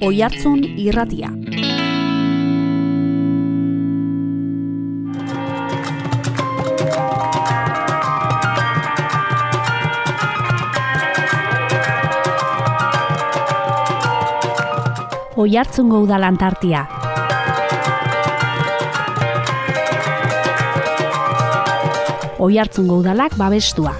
Oihartzun irratia. Oihartzungo udalan tartia. Oihartzungo udalak babestua.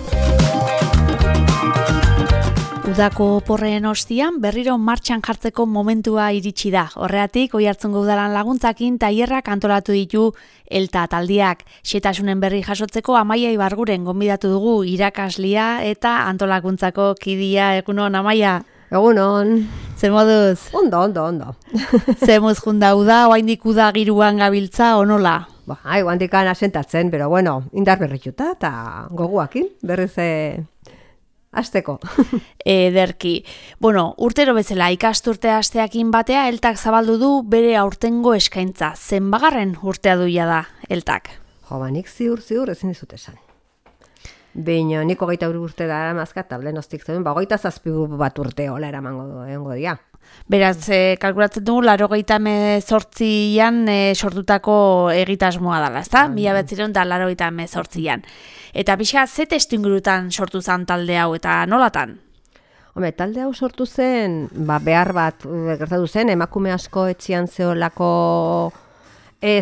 Udako oporreen ostian berriro martxan jartzeko momentua iritsi da. Horregatik, Oihartzungo udalan laguntzakin tailerrak antolatu ditu ELTA taldiak. Xetasunen berri jasotzeko Amaia Ibarguren gonbidatu dugu irakaslia eta antolakuntzako kidia. Egunon, Amaia? Egunon. Ze moduz? Ondo. Ze moz junda uda, oaindik uda giruan gabiltza, onola? Oaindikan asentatzen, pero bueno, indar berrituta eta goguakin, berriz hasteko. Ederki. Bueno, urtero bezala ikasturte hasteakin batea ELTak zabaldu du bere aurtengo eskaintza. Zenbagarren urtea duia da ELTak? Nik ziur ezin dizut esan. Baina nik 23 urte da mazkat tablenostik zeuden, 27 bat urte hola eramango dira. Beraz, kalkulatzen dugu, 98an sortutako egitasmoa dela, ezta? 1998an. Eta pixa, ze testu ingurutan sortu zen talde hau eta nolatan? Talde hau sortu zen, behar bat gertatu zen, emakume asko etxian zeolako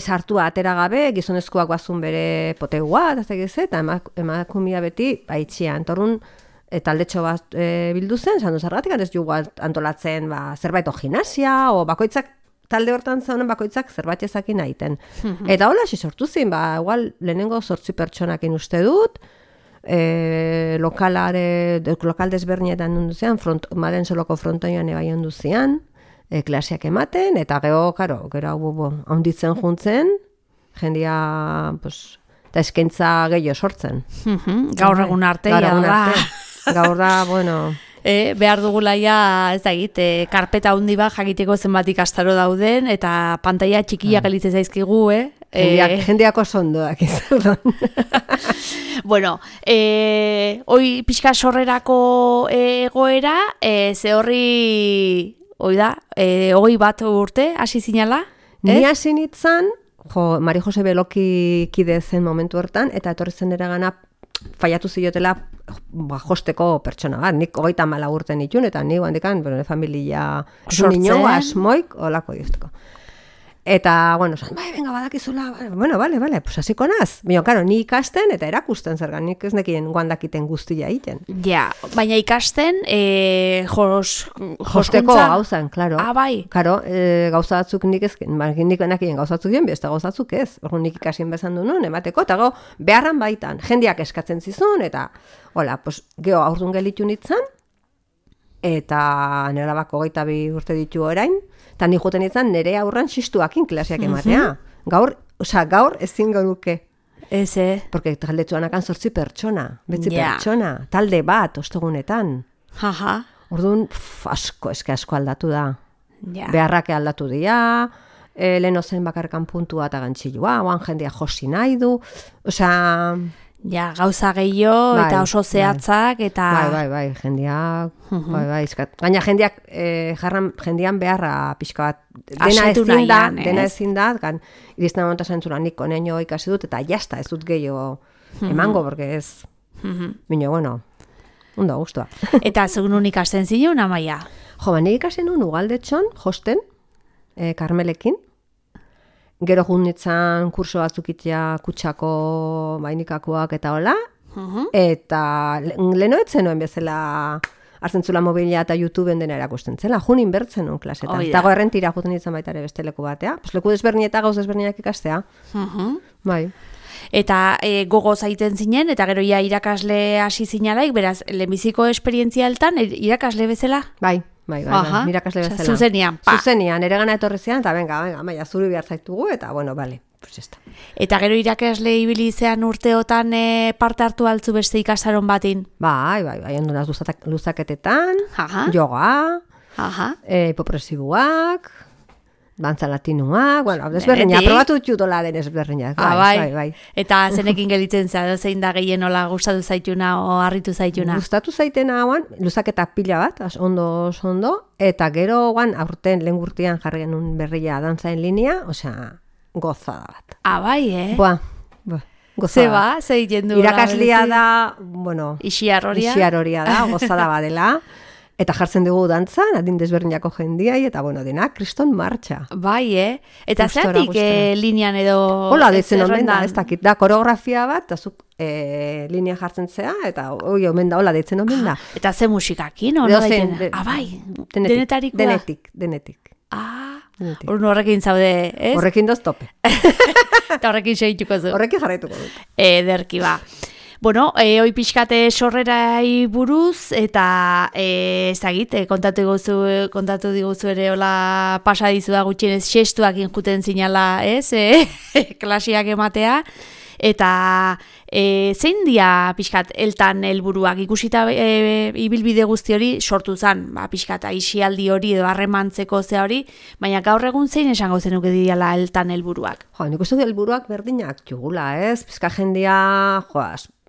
sartua atera gabe, gizonezkoak bazun bere potegua, eta emakumea beti itxian. Torrun, taldetxo bat bildu zen, sandu zergatik, ez jugu antolatzen zerbait gimnasia, o bakoitzak, talde hortan zaunen bakoitzak zerbait ezakin aiten. Eta hola, sortu zen, igual lehenengo 8 pertsonakin uste dut, lokal desbernietan nunduzean, Maren Soloko frontoian ebai onduzean, klaseak ematen, eta gero haunditzen juntzen, jendia, eta eskaintza gehiago sortzen. Gaur egun arte, Gaur da, bueno... behar dugulaia, ez da egit, karpeta handi bat jakiteko zenbat ikastaro dauden, eta pantaila txikia gelitzen zaizkigu, Jendeako sondoak izan. Bueno, hoi pixka sorrerako egoera, ze horri, hoi da, 21 urte, hasi zinala? Ni hasi nintzen, Mari Jose Beloki kide zen momentu hortan, eta etorri zen eragana faiatu ziotela josteko pertsona bat. Nik 34 urte nituen, eta nik handikan, familia sortzen, asmoik, olako dizteko. Eta, bueno, venga, badakizula, bueno, vale, pues hasiko naz. Baina, karo, ni ikasten eta erakusten zergan, nik ez nekien guandakiten guztia egiten. Ja, baina ikasten, josteko gauzan, klaro. Bai. Karo, gauza batzuk nik ezken, nik enakien gauza batzuk dien, beste gauza batzuk ez. Nik ikasien bezan du nun, emateko, eta beharran baitan, jendeak eskatzen zizun, eta, hola, pues, geho aurdun gelitu nintzen, eta nera bako 22 urte ditu orain, eta nik joten nintzen nire aurran xistuakin klaseak ematea. Gaur ezin garuke. Eze. Porque taldetzuan akan 8 pertsona, pertsona, talde bat, ostegunetan. Orduan, asko aldatu da. Beharrake aldatu dira, leheno zen bakarkan puntua eta gantxilua, oan jendea josi nahi du, Ja, gauza gehiago eta oso zehatzak eta... Bai, jendeak, gaina jendean beharra pixka bat, dena ezin da, irizten momentu zentzura nik oneño ikasi dut, eta jazta ez dut gehiago emango, porque ez, bine, bueno, ondo guztua. Eta zegun ikasten zinun, Amaia? Nik ikasen nun Ugaldetxon, josten, Karmelekin, gero junditzen kurso batzuk itea kutsako mainikakoak eta hola, eta lehenoetzen noen bezala hartzen zula mobilia eta YouTubeen dena erakusten zela, junin bertzen nun klasetan. Eta errentira juten ditzen baita ere beste leku batea, leku desberni eta gauz desberniak ikastea. Bai. Eta gogo zaiten zinen, eta gero ja irakasle hasi zinalaik, beraz, lehenbiziko esperientzia eltan, irakasle bezala? Bai, irakasle bezala. Zuzenian, ere gana etorri zian, eta venga, maia, zuri behar zaitugu, eta bueno, bale, pues esta. Eta gero irakasle ibili zean urteotan parte hartu altzu beste ikasaron batin? Bai, ondunaz luzaketetan, yoga, hipopresibuak, Dantza latinoak, bueno, desberdina, probatu ditutola den ezberdinak. Bai. Eta zenekin gelitzen za, zein da gehien nola gustatu zaituna o harritu zaituna? Gustatu zaitena hauan, luzaketa pila bat, ondo, eta gero guan, aurten lehen gurtian jarri genuen berria dantzaen linea, osea, gozada bat. Bai, Gozada. Ze egiten du? Irakaslia da, bueno, Ixiaroria da, gozada badela. Eta jartzen dugu dantzan, adin desberdinako jendiai, eta bueno, denak kriston martxa. Bai, Eta zeratik linean edo... Hola, dezen omen da, ez dakit, da koreografia bat, eta zuk linea jartzen zea, eta omen da, hola, dezen omen da. Eta ze musikakin, hori daiten? Bai, denetarikoa? Denetik. Horrekin zaude, ez? Horrekin doz tope. Eta horrekin segituko zu. Horrekin jarraituko dut. Ederki ba. Bueno, hoi pixkate sorrerai buruz, eta ezagit, kontatu diguzu ere hola pasa dizu da gutxienez xestuak injuten zinala, ez? Klasiak ematea. Eta zein dia pixkat eltan helburuak ikusita ibilbide guzti hori sortu zen, pixkat aisialdi hori edo harremantzeko ze hori, baina gaur egun zein esango zenuke diala eltan helburuak? Nik uste helburuak berdinak jugula, ez? Pizka jendia,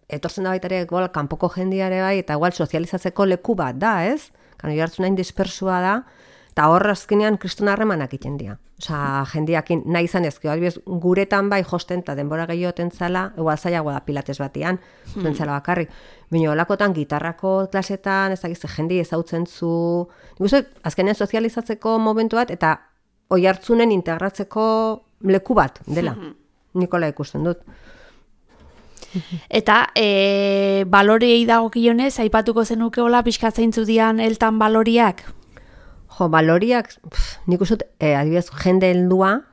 etortzen da baita ere, kanpoko jendiare bai, eta igual sozializatzeko leku bat da, ez? Kano jartzen nahin dispersua da, eta hor azkenean kristona harremanak iten dira. Osa, jendiakin nahi izan ezkio, guretan bai josten eta denbora gehioten zala, igual zailago da pilates batian, bentzala bakarrik. Baina olakotan gitarrako klasetan, ez dakiz, jendi ezautzen zu... Nik uste, azkenean sozializatzeko momentu bat, eta oi hartzunen integratzeko leku bat, dela. Nikola ikusten dut. Eta baloriei dagokionez, aipatuko zenuke hola pixkatzaintzu dian eltan baloriak? Baloriak, nik uste, adibidez, jende heldua,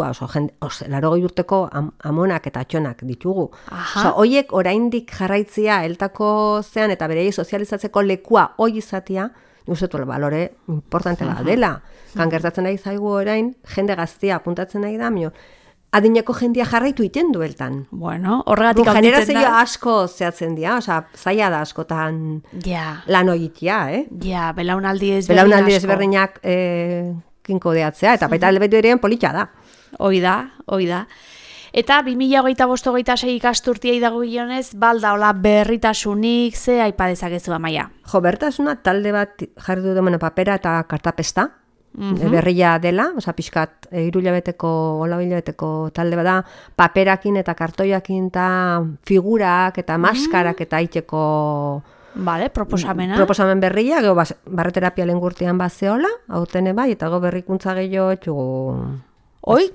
oso, 80 urteko amonak eta atxonak ditugu. Hoiek oraindik jarraitzia eltako zean eta berei sozializatzeko lekua hoi izatia, nik uste, balore importante da dela. Kan gertatzen nahi zaigu orain, jende gaztia apuntatzen nahi da, adineko jendia jarraitu iten dueltan. Bueno, horregatik hau ditzen da. Generazio asko zehatzen dira, oza, zaila da askotan lan hoitia, Ja, belaunaldi ezberdinak kinko deatzea, eta baita albetu ere politxa da. Hoi da. Eta 2025-26 ikasturtiei dago gionez, balda hola berritasunik ze aipa dezakezu Amaia? Berritasuna talde bat jarri du papera eta kartapesta, berria dela, oza, pixkat, 3 hilabeteko, 4 hilabeteko talde bada, paperakin eta kartoiakin eta figurak eta maskarak eta iteko proposamena. Proposamen berria, gero barreterapia lehen gurtian bazeola, hautene bai, eta go berrikuntza gehiago etxugu...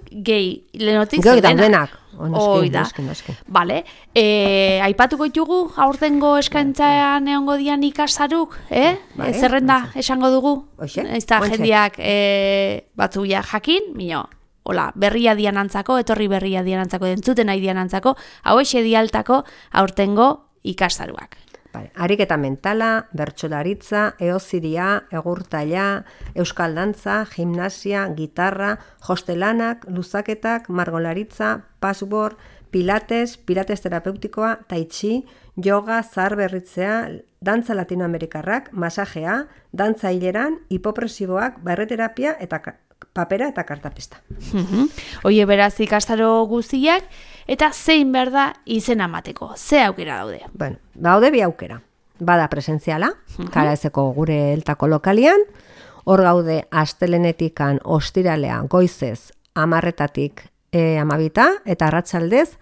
Gehi, lehenotik denak. Noski. Bale, aipatuko ditugu aurtengo eskaintzean egongo dian ikasaruk, zerrenda esango dugu? Ez da jendiak batzuia jakin, hola, berria dianantzako, etorri berria dianantzako, entzuten nahi dianantzako, hauexe dialtako aurtengo ikastaruak. Ariketa mentala, bertsolaritza, eoziria, egurtaila, euskal dantza, gimnasia, gitarra, hostelanak, luzaketak, margolaritza, password, pilates terapeutikoa, tai chi, yoga, zahar berritzea, dantza latinoamerikarrak, masajea, dantza hileran, hipopresiboak, barreterapia eta papera eta kartapesta. Oie beraz ikastaro guztiak, eta zein behar da izena emateko? Ze aukera daude? Daude bi aukera. Bada presentziala, Karaezeko gure eltako lokalian, hor gaude astelenetikan ostiralea goizez 10:00 12:00 eta arratsaldez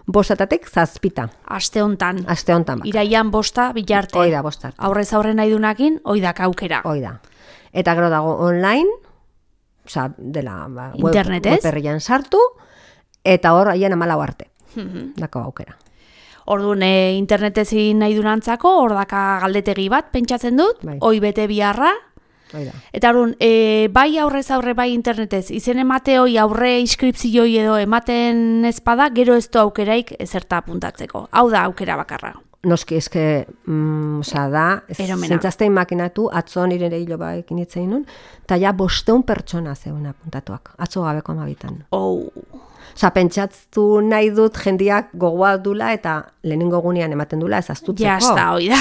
5:00 7:00. Aste hontan. Iraian 5 bilarte. Hoi da 5 arte. Aurrez aurre nahi dunakin, hoi da aukera. Hoi da. Eta gero dago online, oza, dela web sartu, eta hor haien 14 arte. Dako aukera. Orduan, internetezin nahi dunantzako, hor daka galdetegi bat, pentsatzen dut, hoi bete biharra. Eta orduan, bai aurrez aurre, bai internetez, izen emate hoi aurre inskripzioi edo ematen ezpada, gero ez du aukeraik ezerta apuntatzeko. Hau da aukera bakarra. Noski, eske, da, zentzaztein makinatu, atzo nire hilo ekin itzein nun, eta ja 500 pertsona zeuen apuntatuak, atzo gabeko 12. Osa, pentsatu nahi dut jendiak gogoa dula eta lehenengo gunean ematen dula ez astutzeko. Jasta, hoi da.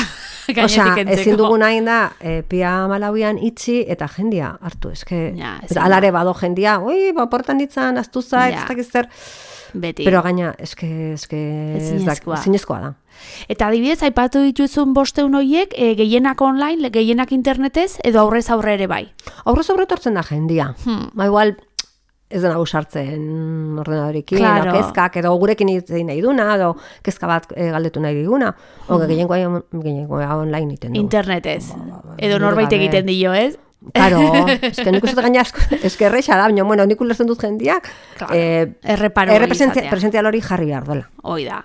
Osa, ezin dugu nahi da, pia malauian itxi eta jendia hartu. Alare bado jendia, portan ditzan, astu zait, ez dakiz zer. Beti. Pero gaina, ezinezkoa da. Eta adibidez, aipatu dituzun 500 horiek, gehienak online, gehienak internetez, edo aurrez aurre ere bai? Aurrez aurre tortzen da jendia. Igual, ez dena sartzen ordenadorekin, claro. Kezkak, edo gurekin egin nahi duna, edo kezka bat galdetu nahi diguna, gehiengoa online iten du. Internetez, edo norbait egiten dio, ez? Claro, nik uste gaina erreixa da, baina nik ulertzen dut jendiak, errepresential hori jarri behar dola. Hoi da.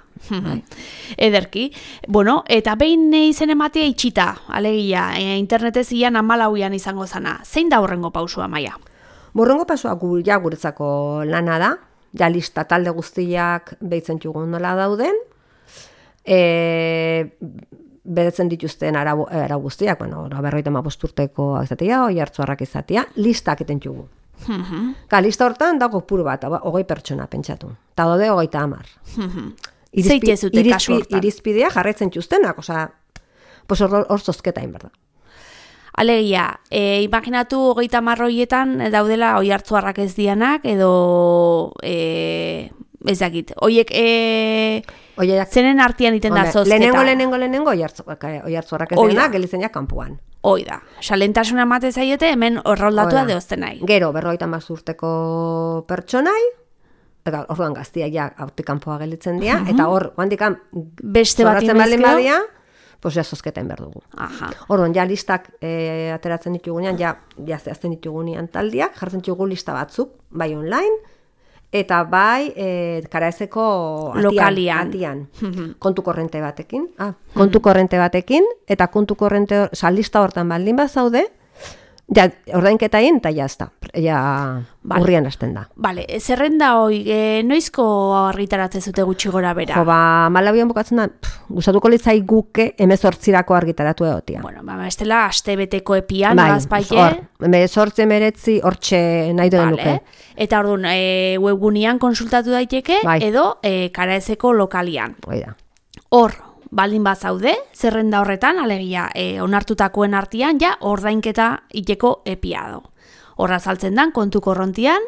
Ederki. Bueno, eta behin izen ematea itxita, alegia, internetez ian 14an izango zana. Zein da horrengo pausua, Maia? Horrengo pausua guretzako lana da, ja lista talde guztiak behitzen txugun nola dauden, beretzen dituzten arau guztiak, bueno, 55 urteko izatea, oihartzuarrak izatea, listak eten txugu. Lista hortan dago puru bat, 20 pertsona pentsatu. Eta daude 30. Zeitezute kasu hortan. Irizpidea jarraitzen txuztenak, hor zozketa inberda. Alegia, imaginatu 30 horietan daudela oihartzuarrak ez dianak, edo ez dakit, oiek zenen artean iten da zozketa. Lehenengo oihartzuarrak ez dianak, gelizeniak kanpoan. Hoi da, salentasuna emate zaiete, hemen horroldatua deozten nahi. Gero, 50 urteko pertsonai, orduan gaztia ja hortik kanpoa gelitzen dira, eta hor, handikan, beste bat badia, pues ja zozketen behar dugu. Orduan, ja listak ateratzen ditugunean, ja zehazten ditugunean taldiak, jartzen ditugu lista batzuk, bai online, eta bai karaezeko atian. Kontu korrente batekin. Kontu korrente batekin, eta kontu korrente, lista hortan baldin bat zaude, ja, ordainketa egin, eta jazta. Urrian hasten da. Bale, zerrenda hoi, noizko argitaratzen zute gutxi gora bera? Malabian bukatzen da, gustatuko litzai guke 18 argitaratu egotia. Bueno, estela astebeteko epian, nolazpaite? 18-19 hortxe nahi duen nuke. Eta orduan, webgunean konsultatu daiteke, edo karaezeko lokalian. Hor, baldin bat zaude, zerrenda horretan, alegia, onartutakoen artean, ja, ordainketa iteko epiado. Horra saltzen dan, kontu korrontian,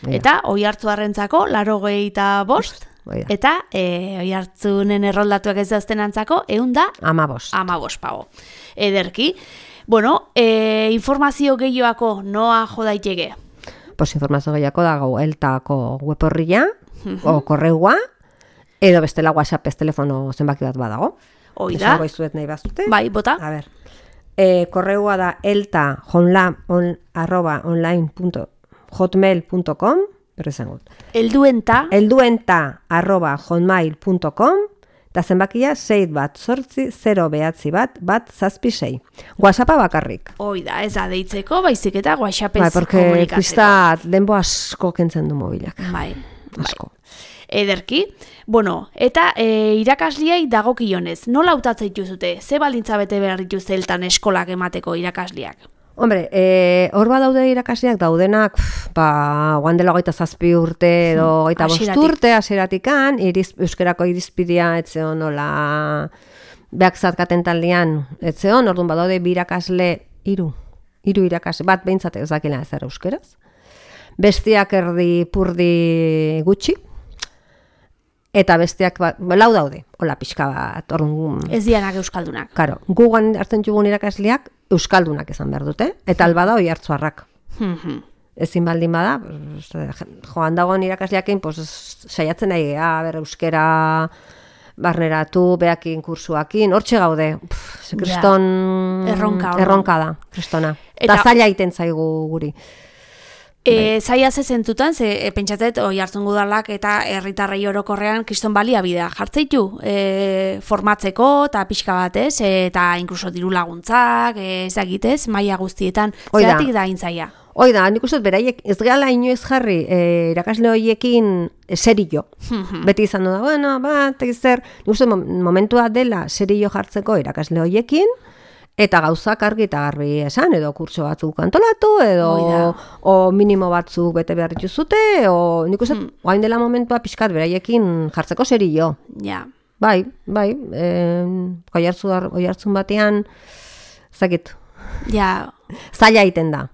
eta oihartzuarrentzako 85, eta oihartzunen erroldatuak ez dauzten antzako, 115 pago. Ederki. Bueno, informazio gehioako noa jo daiteke? Pues informazio gehiago dago eltako web horria, o korreua, edo bestela WhatsApp ez telefono zenbaki bat badago. Hoi da. Esango izuet nahi bazute. Bai, bota. A ber. Korreua da elta@hotmail.com, berrezangot. elduenta@hotmail.com, eta zenbakia 618-0 WhatsAppa bakarrik. Hoi da, ez da deitzeko, baizik eta WhatsAppez komunikatzeko. Porque krista denbo asko kentzen du mobilak. Bai. Ederki. Bueno, eta irakasliai dagokionez, nola hautatzen dituzute? Ze baldintza bete behar dituzte eltan eskolak emateko irakasliak? Hombre, hor daude irakasleak daudenak, guan dela 27 urte edo 25 urte hasieratikan, euskerako irizpidea etzeon nola beak zatkaten taldean etzeon, orduan badaude bi irakasle, hiru irakasle, bat behintzat ez dakila ezer euskeraz. Bestiak erdi purdi gutxi, eta bestiak lau daude, hola pixka bat, orduan. Ez dianak euskaldunak. Karo, gugan hartzen txugun irakasleak euskaldunak izan behar dute, eta albada oihartzuarrak. Ezin baldin bada, joan dagoen irakasleakin, saiatzen nahi geha, euskera barneratu, behakin kursuakin, hortxe gaude, kriston erronka da, kristona. Eta zaila iten zaigu guri. Zaila zezentutan, pentsatet, oihartzun gudalak eta herritarrei orokorrean kriston baliabidea jartzeitu formatzeko eta pixka batez, eta inkluso diru laguntzak, ezagitez, maila guztietan, zeratik da intzaia? Hoi da, nik uste beraiek ez gehala inoiz jarri irakasle horiekin serio. Beti izan da, bueno, nik uste momentua dela serio jartzeko irakasle horiekin, eta gauzak argi eta garbi esan, edo kurtso batzuk antolatu, edo o minimo batzuk bete behar dituzute, o nik uste, guain dela momentua pixkat beraiekin jartzeko serio. Ja. Bai, oihartzun batean, zakit, Ja. zaila egiten da.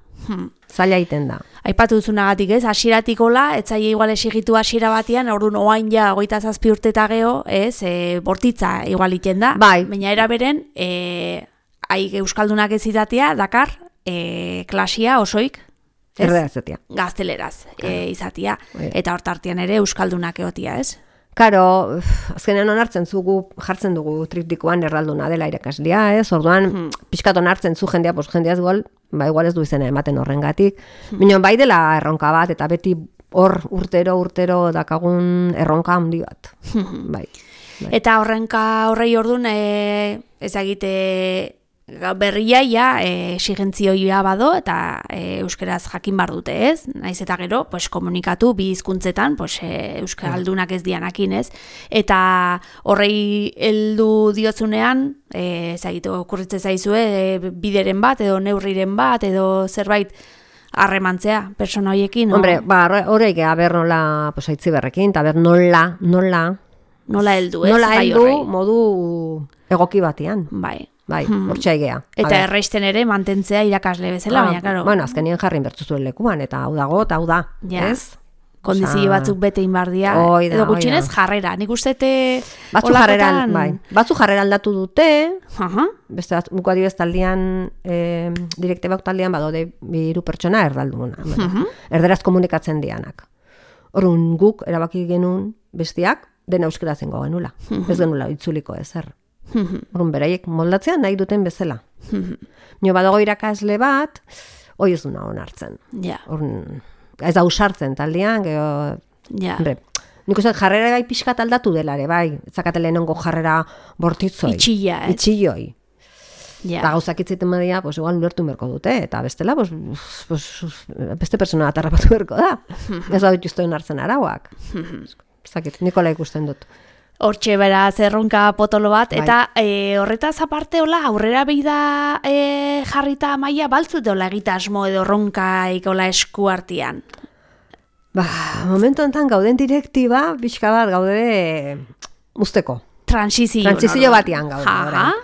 Zaila egiten da. Aipatu duzunagatik, ez? Hasieratik hola, etzaile igual exigitu hasiera batean, orduan oain ja 27 urte eta geho, ez? Bortitza igual iten da. Bai. Baina era beren, euskaldunak ez izatea, dakar, klasia osoik, ez? Erredaz Gazteleraz izatea. Eta hortartian ere euskaldunak egotia, ez? Karo, azkenean onartzen jartzen dugu triptikoan erralduna dela irakaslea, ez? Orduan, pixkat onartzen zu jendea, jendeaz igual ez du izena ematen horrengatik. Minon bai dela erronka bat, eta beti hor urtero dakagun erronka handi bat. Bai. Eta horrei orduan, ezagite berriaia exigentzioia bado eta euskeraz jakin bar dute, ez? Naiz eta gero, pues komunikatu bi hizkuntzetan, pues euskaldunak ez dianakin, ez? Eta horrei heldu diotzunean, ezagite okurritze zaizue bideren bat edo neurriren bat edo zerbait harremantzea persona hoiekin, no? Hombre, horrei gea ber nola, pues aitzi berrekin, eta ber nola heldu, ez? Nola heldu modu egoki batean. Bai, hortxe aigea. Eta erraisten ere mantentzea irakasle bezala, baina, karo. Bueno, azkenien jarrin bertzuzuen lekuan, eta hau dago, eta hau da, ez? Kondizio batzuk bete inbardia, edo gutxinez jarrera. Nik ustete batzu jarreran, bai. Batzu jarrera aldatu dute, beste buko adibez taldean, direktibak taldean badode 3 pertsona erdalduna. Erderaz komunikatzen dianak. Orrun guk erabaki genuen bestiak dena euskera zengo genula. Ez genula itzuliko ezer. Orrun beraiek moldatzea nahi duten bezala. Nio badago irakasle bat, hoi ez duna onartzen. Orrun, ez da usartzen taldean, nik uste jarrera gai pixkat aldatu delare, bai. Etzakate lehenengo jarrera bortitzoi. Itxilloi. Eta gauzak itziten badia, pues igual ulertu berko dute, eta bestela, beste persona bat harrapatu berko da. Ez da dituzte onartzen arauak. Zakit, Nikola ikusten dut. Hortxe bera zerronka potolo bat, eta horretaz aparte hola, aurrera behi da jarrita maila baltzut hola egitasmo edo ronkaik hola esku artean? Momentu enten gauden direktiba, pixka bat gaude usteko. Transizio batian gaude.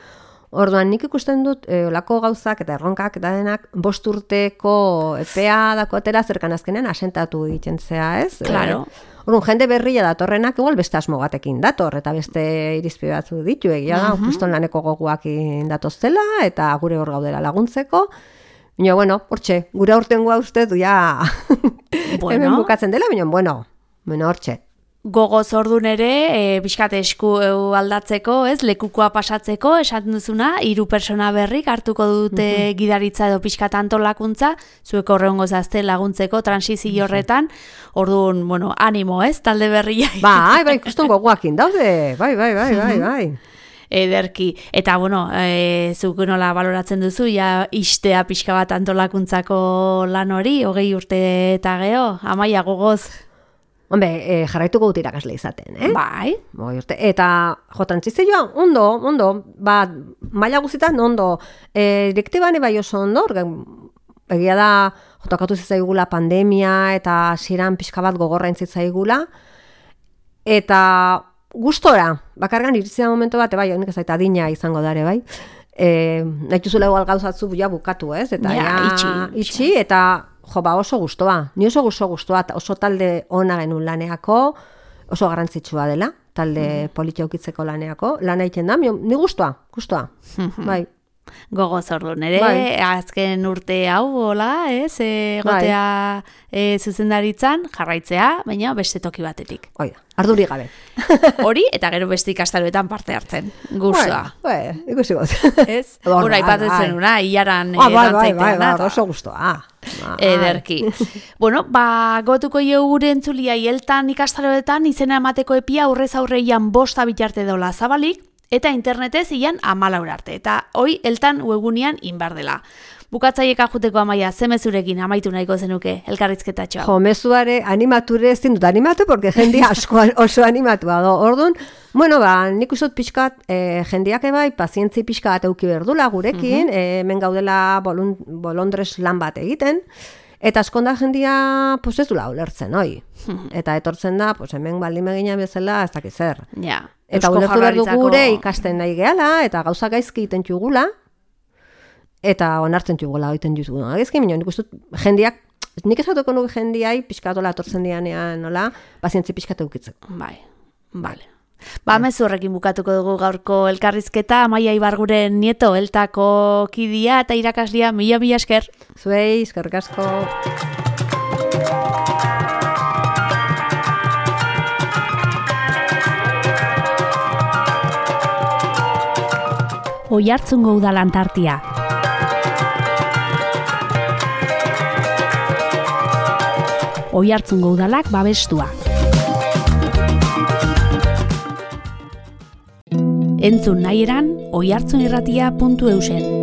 Orduan nik ikusten dut olako gauzak eta erronkak eta denak 5 urteko epea dakotera zerkan azkenean asentatu egiten zea, ez? Claro. Orduan, jende berria datorrenak igual beste asmo batekin dator, eta beste irizpide batzu ditu, egia da, juston laneko goguak datoztela, eta gure hor gaudela laguntzeko. Baina, bueno, hortxe, gure aurtengoa uste du, ja, hemen bukatzen dela, baina, hortxe. Gogoz ordun ere, pixkat esku aldatzeko, ez, lekukoa pasatzeko, esaten duzuna, 3 pertsona berrik hartuko dute gidaritza edo pixkat antolakuntza, zuek horrengo zazte laguntzeko transizio horretan, orduan, animo, ez, talde berria. Bai, ikusten gogoakin daude, bai. Ederki. Eta, zuk nola baloratzen duzu, ja istea pixka bat antolakuntzako lan hori, 20 urte eta geho, Amaia gogoz. Hombre, jarraituko dut irakasle izaten, Bai. Eta, transizioa, ondo, maila guzitan, ondo, direktiban bai oso ondo, egia da, jotokatu zitzaigula pandemia, eta ziren pixka bat gogorra entzitzaigula, eta gustora, bakargan iritzea momentu bat, bai, honik ez aita adina izango dare, bai, nahi tuzula igual gauzatzu bukatu, ez? Eta itxi, eta oso gustoa. Ni oso gustoa, oso talde ona genuen laneako, oso garrantzitsua dela, talde politiaukitzeko laneako, lana egiten da, ni gustoa, bai. Gogoz orduan, ere, azken urte hau, hola, ez, gotea zuzendaritzan, jarraitzea, baina beste toki batetik. Oida, arduri gabe. Hori, eta gero beste ikastaroetan parte hartzen, gustoa. Ikusi got. Ez? Hora, ipatetzen una, iaran dantzaitea. Bai, oso gustoa. Ederki. Gotuko jo gure entzulia, hieltan ikastaroetan izena emateko epia aurrez aurreian 5 bitarte dola zabalik, eta internetez ilan 14 arte, eta hoi eltan webgunean inbar dela. Bukatzaiek ajuteko Amaia, ze mezurekin amaitu nahiko zenuke elkarrizketatxoa? Jo, mezuare animature ez dut animatu, porque jendia asko oso animatua do. Orduan, bueno, nik usot pixkat, jendiak ebai, pazientzi pixkat euki berdula gurekin, hemen gaudela bolondres lan bat egiten, eta askonda jendia, pues ez dula ulertzen, oi? Eta etortzen da, pues hemen baldin begina bezala, ez dakiz zer. Ja. Eta ulertu behar du gure ikasten nahi gehala, eta gauza gaizki egiten txugula, eta onartzen txugula egiten jutu. Gaizki, nik uste jendiak, nik esatuko nuke jendiai, pixkatola etortzen dianean, nola, pazientzi pixkatu eukitzeko. Bai, bale. Mezu horrekin bukatuko dugu gaurko elkarrizketa, Amaia Ibarguren nieto, eltako kidia eta irakaslia, mila esker. Zuei, eskerrik asko. Oiartzungo Udal Antartia. Oiartzungo Udalak babestua. Entzun nahi eran, oiartzunirratia.eusen.